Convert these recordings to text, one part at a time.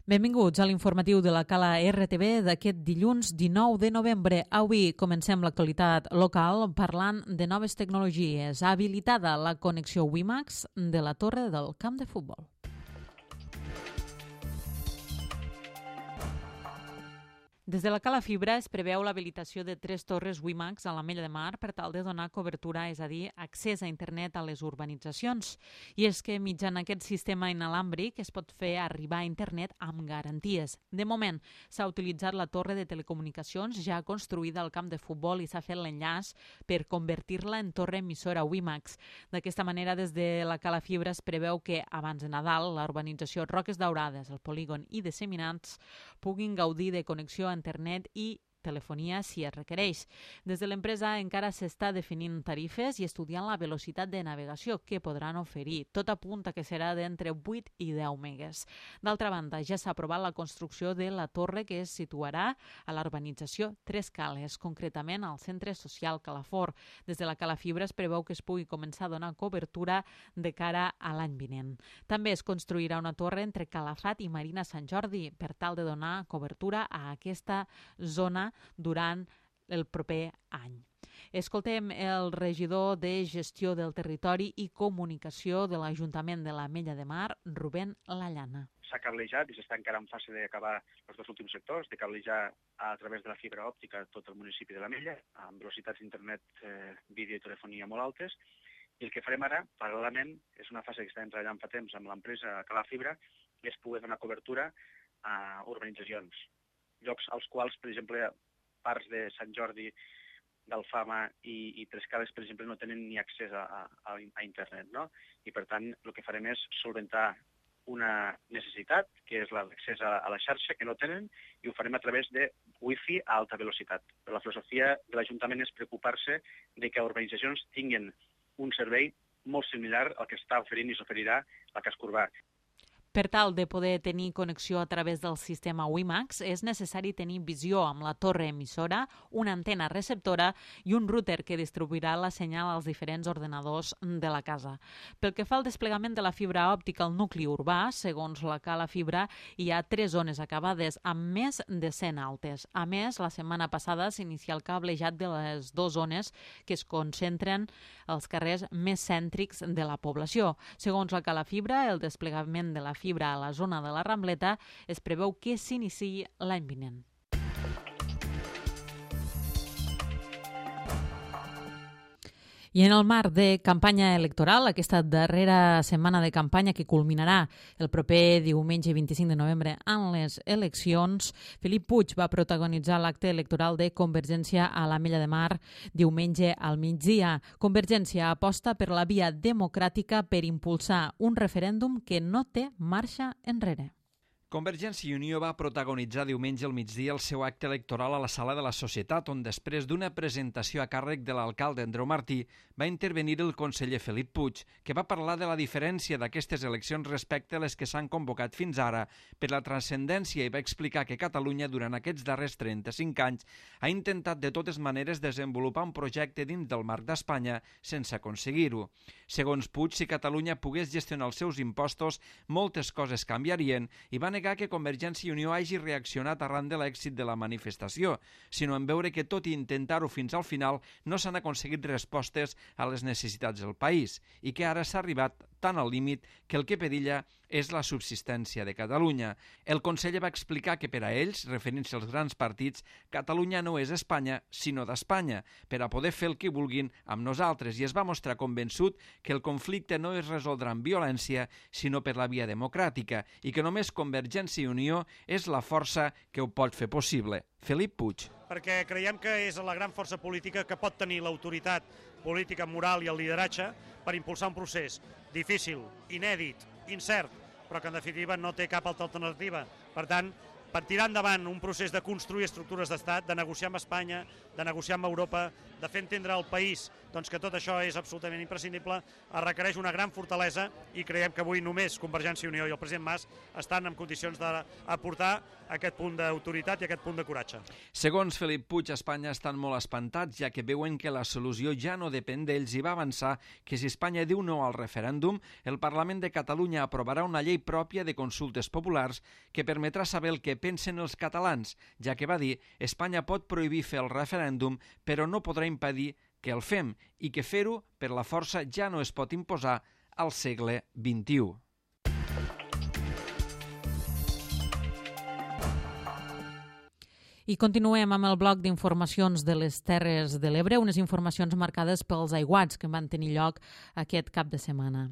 Benvinguts a l'informatiu de la Cala RTV d'aquest dilluns 19 de novembre. Avui comencem l'actualitat local parlant de noves tecnologies. Ha habilitada la connexió WiMAX de la torre del camp de futbol. Des de la Cala Fibra es preveu l'habilitació de 3 torres WiMAX a l'Ametlla de Mar per tal de donar cobertura, és a dir, accés a internet a les urbanitzacions. I és que mitjançant aquest sistema inalàmbric es pot fer arribar a internet amb garanties. De moment, s'ha utilitzat la torre de telecomunicacions ja construïda al camp de futbol i s'ha fet l'enllaç per convertir-la en torre emissora WiMAX. D'aquesta manera, des de la Cala Fibra es preveu que, abans de Nadal, la urbanització Roques Daurades, el Polígon i Disseminats puguin gaudir de connexió a internet i telefonia si es requereix. Des de l'empresa encara s'està definint tarifes i estudiant la velocitat de navegació que podran oferir. Tot apunta que serà d'entre 8 i 10 megues. D'altra banda, ja s'ha aprovat la construcció de la torre que es situarà a la urbanització Tres Cales, concretament al centre social Calafort. Des de la Cala Fibra es preveu que es pugui començar a donar cobertura de cara a l'any vinent. També es construirà una torre entre Calafat i Marina Sant Jordi per tal de donar cobertura a aquesta zona durant el proper any. Escoltem el regidor de Gestió del Territori i Comunicació de l'Ajuntament de l'Ametlla de Mar, Rubén Lallana. S'ha cablejat i s'està encara en fase d'acabar els 2 últims sectors, de cablejar a través de la fibra òptica tot el municipi de l'Ametlla, amb velocitats d'internet, vídeo i telefonia molt altes. I el que farem ara, paral·lelament, és una fase que estem treballant fa temps amb l'empresa Cala Fibra, és poder donar cobertura a urbanitzacions, llocs als quals, per exemple, parts de Sant Jordi, d'Alfama i Tres Cales, per exemple, no tenen ni accés a internet, no? I, per tant, el que farem és solventar una necessitat, que és l'accés a la xarxa, que no tenen, i ho farem a través de wifi a alta velocitat. Però la filosofia de l'Ajuntament és preocupar-se de que urbanitzacions tinguin un servei molt similar al que està oferint i s'oferirà al casc urbà. Per tal de poder tenir connexió a través del sistema WiMAX, és necessari tenir visió amb la torre emissora, una antena receptora i un router que distribuirà la senyal als diferents ordenadors de la casa. Pel que fa al desplegament de la fibra òptica al nucli urbà, segons la Cala Fibra, hi ha 3 zones acabades amb més de 100 altes. A més, la setmana passada s'inicia el cablejat de les 2 zones que es concentren als carrers més cèntrics de la població. Segons la Cala Fibra, el desplegament de la fibra a la zona de la Rambleta es preveu que s'iniciï l'any vinent. I en el marc de campanya electoral, aquesta darrera setmana de campanya que culminarà el proper diumenge 25 de novembre en les eleccions, Felip Puig va protagonitzar l'acte electoral de Convergència a l'Ametlla de Mar diumenge al migdia. Convergència aposta per la via democràtica per impulsar un referèndum que no té marxa enrere. Convergència i Unió va protagonitzar diumenge al migdia el seu acte electoral a la Sala de la Societat, on després d'una presentació a càrrec de l'alcalde Andreu Martí va intervenir el conseller Felip Puig, que va parlar de la diferència d'aquestes eleccions respecte a les que s'han convocat fins ara per la transcendència i va explicar que Catalunya durant aquests darrers 35 anys ha intentat de totes maneres desenvolupar un projecte dins del marc d'Espanya sense aconseguir-ho. Segons Puig, si Catalunya pogués gestionar els seus impostos, moltes coses canviarien i va negar que Convergència i Unió hagi reaccionat arran de l'èxit de la manifestació, sinó en veure que tot i intentar-ho fins al final no s'han aconseguit respostes a les necessitats del país i que ara s'ha arribat tan al límit que el que perilla és la subsistència de Catalunya. El conseller va explicar que per a ells, referint-se als grans partits, Catalunya no és Espanya, sinó d'Espanya, per a poder fer el que vulguin amb nosaltres, i es va mostrar convençut que el conflicte no es resoldrà amb violència, sinó per la via democràtica, i que només Convergència i Unió és la força que ho pot fer possible. Felip Puig. Perquè creiem que és la gran força política que pot tenir l'autoritat política, moral i el lideratge per impulsar un procés difícil, inèdit, incert, però que en definitiva no té cap altra alternativa. Per tant, per tirar endavant un procés de construir estructures d'estat, de negociar amb Espanya, de negociar amb Europa, de fer entendre al país doncs que tot això és absolutament imprescindible, es requereix una gran fortalesa i creiem que avui només Convergència i Unió i el president Mas estan en condicions d'aportar aquest punt d'autoritat i aquest punt de coratge. Segons Felip Puig, a Espanya estan molt espantats, ja que veuen que la solució ja no depèn d'ells i va avançar que si Espanya diu no al referèndum, el Parlament de Catalunya aprovarà una llei pròpia de consultes populars que permetrà saber el que pensen els catalans, ja que va dir Espanya pot prohibir fer el referèndum, però no podrà impedir que el fem i que fer-ho per la força ja no es pot imposar al segle XXI. I continuem amb el bloc d'informacions de les Terres de l'Ebre, unes informacions marcades pels aiguats que van tenir lloc aquest cap de setmana.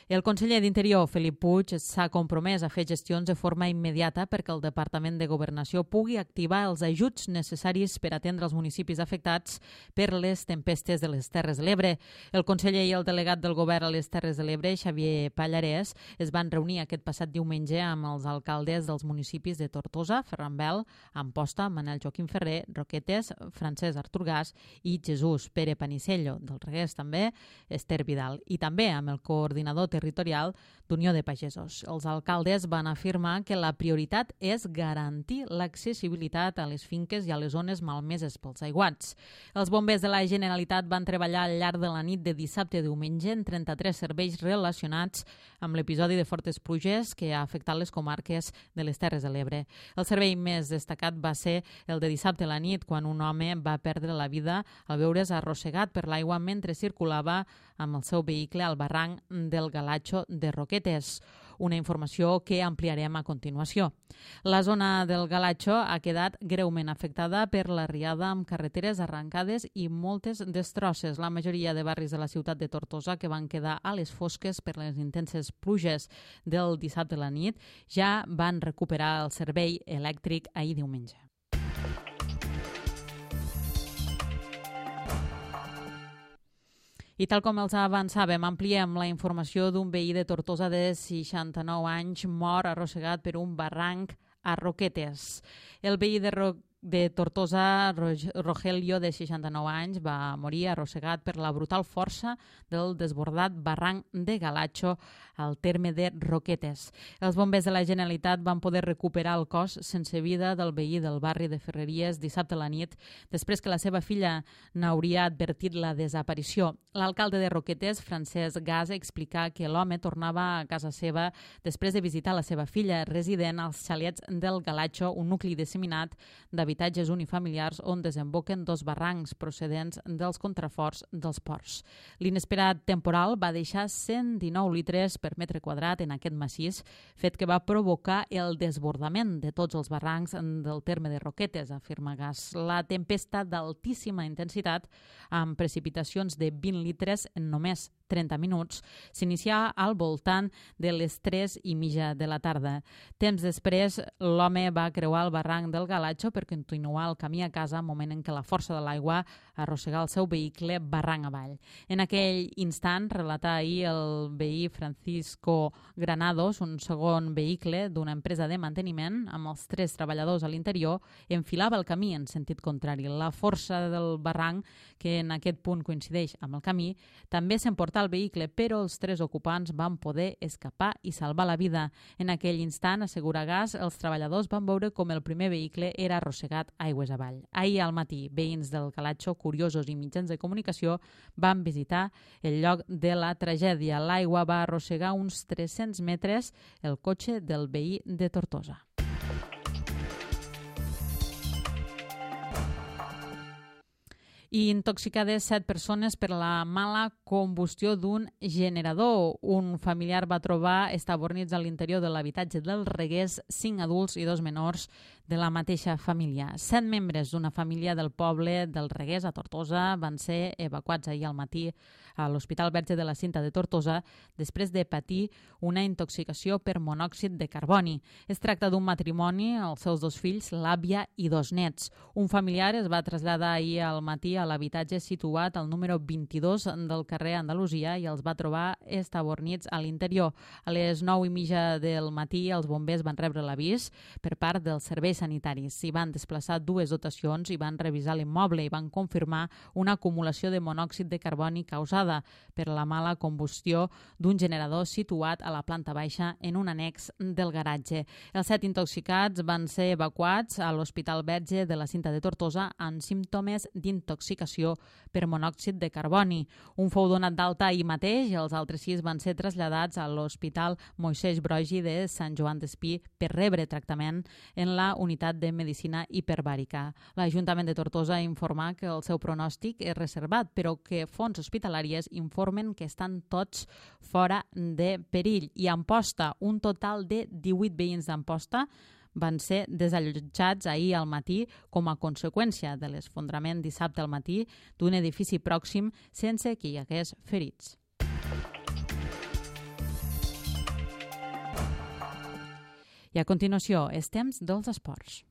El conseller d'Interior, Felip Puig, s'ha compromès a fer gestions de forma immediata perquè el Departament de Governació pugui activar els ajuts necessaris per atendre els municipis afectats per les tempestes de les Terres de l'Ebre. El conseller i el delegat del govern a les Terres de l'Ebre, Xavier Pallarès, es van reunir aquest passat diumenge amb els alcaldes dels municipis de Tortosa, Ferrambel, Amposta, Manel Joaquim Ferrer, Roquetes, Francesc Artur Gas i Jesús Pere Panicello, del Regués també, Esther Vidal, i també amb el coordinador territorial d'Unió de Pagesos. Els alcaldes van afirmar que la prioritat és garantir l'accessibilitat a les finques i a les zones malmeses pels aiguats. Els bombers de la Generalitat van treballar al llarg de la nit de dissabte a diumenge en 33 serveis relacionats amb l'episodi de fortes pluges que ha afectat les comarques de les Terres de l'Ebre. El servei més destacat va ser el de dissabte a la nit, quan un home va perdre la vida al veure's arrossegat per l'aigua mentre circulava amb el seu vehicle al barranc del Galatxo de Roquetes, una informació que ampliarem a continuació. La zona del Galatxo ha quedat greument afectada per la riada amb carreteres arrencades i moltes destrosses. La majoria de barris de la ciutat de Tortosa, que van quedar a les fosques per les intenses pluges del dissabte a la nit, ja van recuperar el servei elèctric ahir diumenge. I tal com els avançàvem, ampliem la informació d'un veí de Tortosa de 69 anys mort arrossegat per un barranc a Roquetes. El veí de Tortosa, Rogelio, de 69 anys, va morir arrossegat per la brutal força del desbordat barranc de Galatxo al terme de Roquetes. Els bombers de la Generalitat van poder recuperar el cos sense vida del veí del barri de Ferreries dissabte a la nit, després que la seva filla n'hauria advertit la desaparició. L'alcalde de Roquetes, Francesc Gas, explica que l'home tornava a casa seva després de visitar la seva filla, resident als xalets del Galatxo, un nucli disseminat d'habitatges unifamiliars on desemboquen dos barrancs procedents dels contraforts dels ports. L'inesperat temporal va deixar 119 litres per metre quadrat en aquest massís, fet que va provocar el desbordament de tots els barrancs del terme de Roquetes, afirma Gas. La tempesta d'altíssima intensitat, amb precipitacions de 20 litres en només 30 minuts, s'inicia al voltant de les 3:30 de la tarda. Temps després, l'home va creuar el barranc del Galatxo per continuar el camí a casa, moment en què la força de l'aigua arrossegà el seu vehicle barranc avall. En aquell instant, relata ahir el veí Francisco Granados, un segon vehicle d'una empresa de manteniment, amb els 3 treballadors a l'interior, enfilava el camí en sentit contrari. La força del barranc, que en aquest punt coincideix amb el camí, també s'emportà el vehicle, però els 3 ocupants van poder escapar i salvar la vida. En aquell instant, assegura Gas, els treballadors van veure com el primer vehicle era arrossegat aigües avall. Ahir al matí, veïns del Galatxo, curiosos i mitjans de comunicació van visitar el lloc de la tragèdia. L'aigua va arrossegar uns 300 metres el cotxe del veí de Tortosa. I intoxicades 7 persones per la mala combustió d'un generador. Un familiar va trobar estabornits a l'interior de l'habitatge del Regués 5 adults i 2 menors de la mateixa família. 7 membres d'una família del poble del Regués a Tortosa van ser evacuats ahir al matí a l'Hospital Verge de la Cinta de Tortosa després de patir una intoxicació per monòxid de carboni. Es tracta d'un matrimoni, els seus 2 fills, l'àvia i 2 nets. Un familiar es va traslladar ahir al matí a l'habitatge situat al número 22 del carrer Andalusia i els va trobar estabornits a l'interior. A les 9:30 del matí els bombers van rebre l'avís per part dels serveis sanitaris. S'hi van desplaçar 2 dotacions i van revisar l'immoble i van confirmar una acumulació de monòxid de carboni causada per la mala combustió d'un generador situat a la planta baixa en un annex del garatge. Els 7 intoxicats van ser evacuats a l'Hospital Verge de la Cinta de Tortosa amb símptomes d'intoxicació per monòxid de carboni. Un fou donat d'alta ahir mateix i els altres 6 van ser traslladats a l'Hospital Moisès Broggi de Sant Joan d'Espí per rebre tractament en la unitat de medicina hiperbàrica. L'Ajuntament de Tortosa informa que el seu pronòstic és reservat, però que fonts hospitalàries informen que estan tots fora de perill. I a Amposta, un total de 18 veïns d'Amposta van ser desallotjats ahir al matí com a conseqüència de l'esfondrament dissabte al matí d'un edifici pròxim sense que hi hagués ferits. I a continuació, és temps dels esports.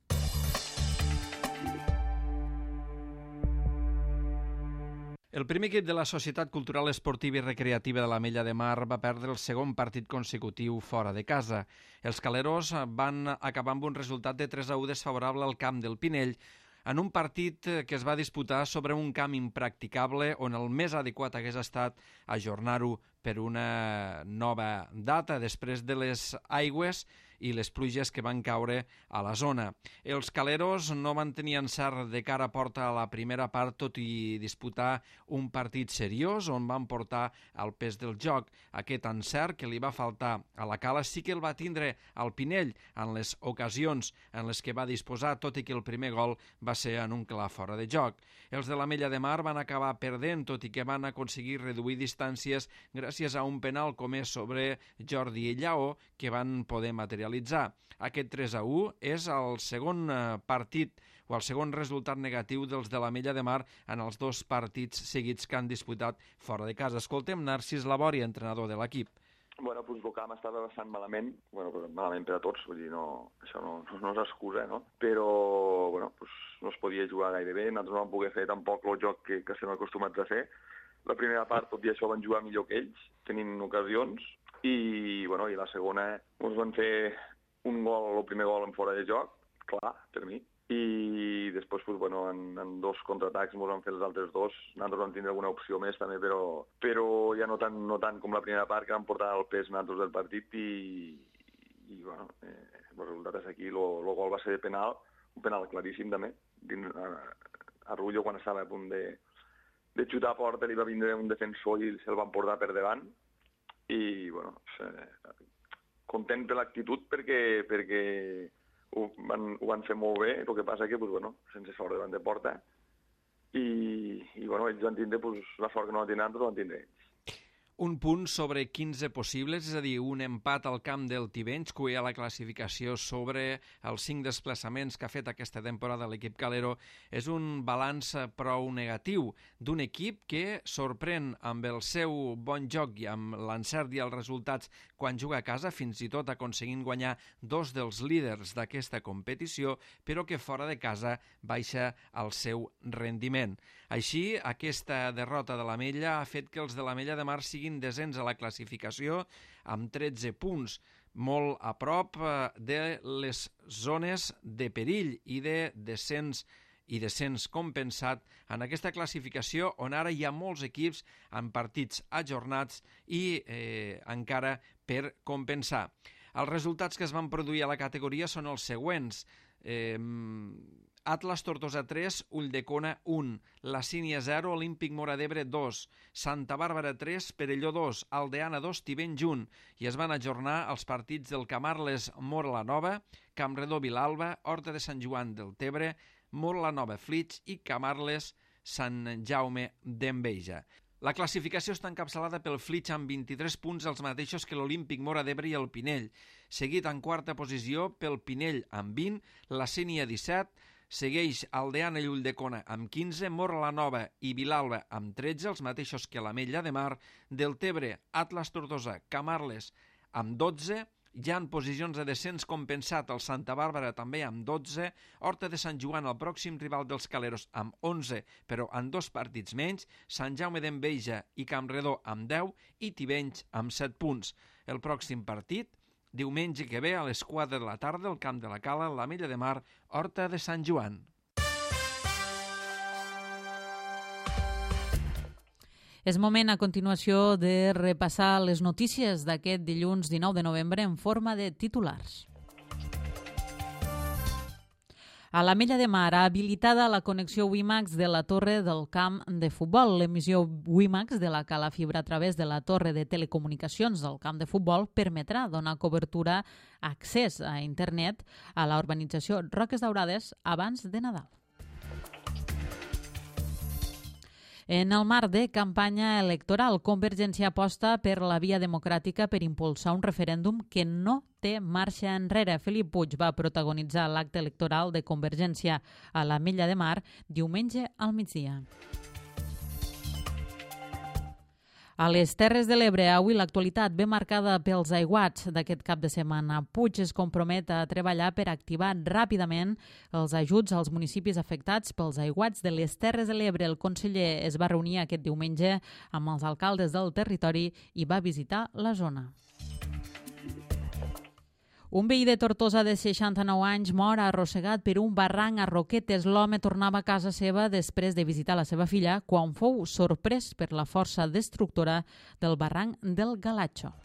El primer equip de la Societat Cultural Esportiva i Recreativa de l'Ametlla de Mar va perdre el segon partit consecutiu fora de casa. Els caleros van acabar amb un resultat de 3-1 desfavorable al camp del Pinell, en un partit que es va disputar sobre un camp impracticable on el més adequat hagués estat ajornar-ho per una nova data després de les aigües i les pluges que van caure a la zona. Els caleros no van tenir encert de cara a porta a la primera part, tot i disputar un partit seriós on van portar el pes del joc. Aquest encert que li va faltar a la Cala sí que el va tindre al Pinell en les ocasions en les que va disposar, tot i que el primer gol va ser en un clar fora de joc. Els de l'Ametlla de Mar van acabar perdent, tot i que van aconseguir reduir distàncies gràcies a un penal comès sobre Jordi Lleó que van poder materialitzar. Aquest 3-1 és el segon partit o el segon resultat negatiu dels de l'Ametlla de Mar en els 2 partits seguits que han disputat fora de casa. Escoltem Narcís Labori, entrenador de l'equip. Bueno, doncs el camp estava bastant malament, malament per a tots, vull dir, això no és excusa, no? Però, no es podia jugar gaire bé, nosaltres no vam poder fer tampoc el joc que estem acostumats a fer. La primera part, tot i això, van jugar millor que ells, tenint ocasions, i la segona ens van fer el primer gol en fora de joc, clar, per mi, i després en 2 contraatacs ens van fer els altres 2. Nosaltres vam tindre alguna opció més també, però ja no tant com la primera part, que vam portar el pes nosaltres del partit i el resultat és aquí. El gol va ser de penal, un penal claríssim també. A Rullo, quan estava a punt de xutar a porta, li va vindre un defensor i se'l van portar per davant. I, content per l'actitud perquè ho van fer molt bé, el que passa que, sense sort davant de porta, i ells van tindre la sort que no la tindran, però van tindre ells. Un punt sobre 15 possibles, és a dir, un empat al camp del Tivenys, que a la classificació sobre els 5 desplaçaments que ha fet aquesta temporada l'equip calero, és un balanç prou negatiu d'un equip que sorprèn amb el seu bon joc i amb l'encert i els resultats quan juga a casa, fins i tot aconseguint guanyar 2 dels líders d'aquesta competició, però que fora de casa baixa el seu rendiment. Així, aquesta derrota de l'Ametlla ha fet que els de l'Ametlla de Mar siguin desens a la classificació amb 13 punts, molt a prop de les zones de perill i de descens compensat en aquesta classificació on ara hi ha molts equips amb partits ajornats i encara per compensar. Els resultats que es van produir a la categoria són els següents. Atlas Tortosa 3, Ulldecona 1, La Sínia 0, Olímpic Móra d'Ebre 2, Santa Bàrbara 3, Perelló 2, Aldeana 2, Tivenys 1, i es van ajornar els partits del Camarles Móra la Nova, Campredó Vilalba, Horta de Sant Joan del Tebre, Móra la Nova Flix i Camarles Sant Jaume d'Enveja. La classificació està encapçalada pel Flix amb 23 punts, els mateixos que l'Olímpic Móra d'Ebre i el Pinell, seguit en quarta posició pel Pinell amb 20, la Sínia 17, segueix Aldeana i Ulldecona amb 15, Móra la Nova i Vilalba amb 13, els mateixos que l'Ametlla de Mar, del Tebre, Atlas Tortosa, Camarles amb 12, Ja en posicions de descens compensat el Santa Bàrbara també amb 12, Horta de Sant Joan, el pròxim rival dels Caleros, amb 11, però en 2 partits menys, Sant Jaume d'Enveja i Campredó amb 10 i Tivenys amb 7 punts. El pròxim partit, diumenge que ve a les 4 de la tarda al Camp de la Cala, l'Ametlla de Mar, Horta de Sant Joan. És moment a continuació de repassar les notícies d'aquest dilluns 19 de novembre en forma de titulars. A l'Ametlla de Mar ha habilitada la connexió WiMAX de la torre del camp de futbol. L'emissió WiMAX de la cala fibra a través de la torre de telecomunicacions del camp de futbol permetrà donar cobertura, accés a internet a la urbanització Roques Daurades abans de Nadal. En el marc de campanya electoral, Convergència aposta per la via democràtica per impulsar un referèndum que no té marxa enrere. Felip Puig va protagonitzar l'acte electoral de Convergència a l'Ametlla de Mar diumenge al migdia. A les Terres de l'Ebre, avui l'actualitat ve marcada pels aiguats d'aquest cap de setmana. Puig es compromet a treballar per activar ràpidament els ajuts als municipis afectats pels aiguats de les Terres de l'Ebre. El conseller es va reunir aquest diumenge amb els alcaldes del territori i va visitar la zona. Un veí de Tortosa de 69 anys mor arrossegat per un barranc a Roquetes. L'home tornava a casa seva després de visitar la seva filla quan fou sorprès per la força destructora del barranc del Galatxo.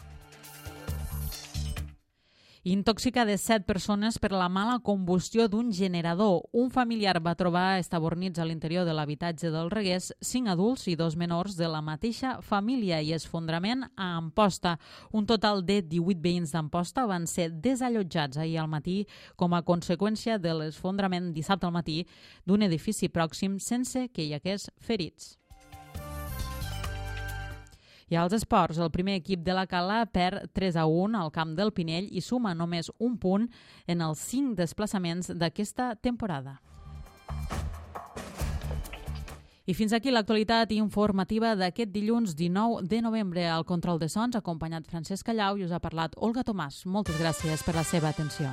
Intoxicades 7 persones per la mala combustió d'un generador. Un familiar va trobar estabornits a l'interior de l'habitatge del Reguers 5 adults i 2 menors de la mateixa família i esfondrament a Amposta. Un total de 18 veïns d'Amposta van ser desallotjats ahir al matí com a conseqüència de l'esfondrament dissabte al matí d'un edifici pròxim sense que hi hagués ferits. I als esports, el primer equip de la Cala perd 3-1 al camp del Pinell i suma només un punt en els 5 desplaçaments d'aquesta temporada. I fins aquí l'actualitat informativa d'aquest dilluns 19 de novembre. Al control de sons, acompanyat Francesc Callau, i us ha parlat Olga Tomàs. Moltes gràcies per la seva atenció.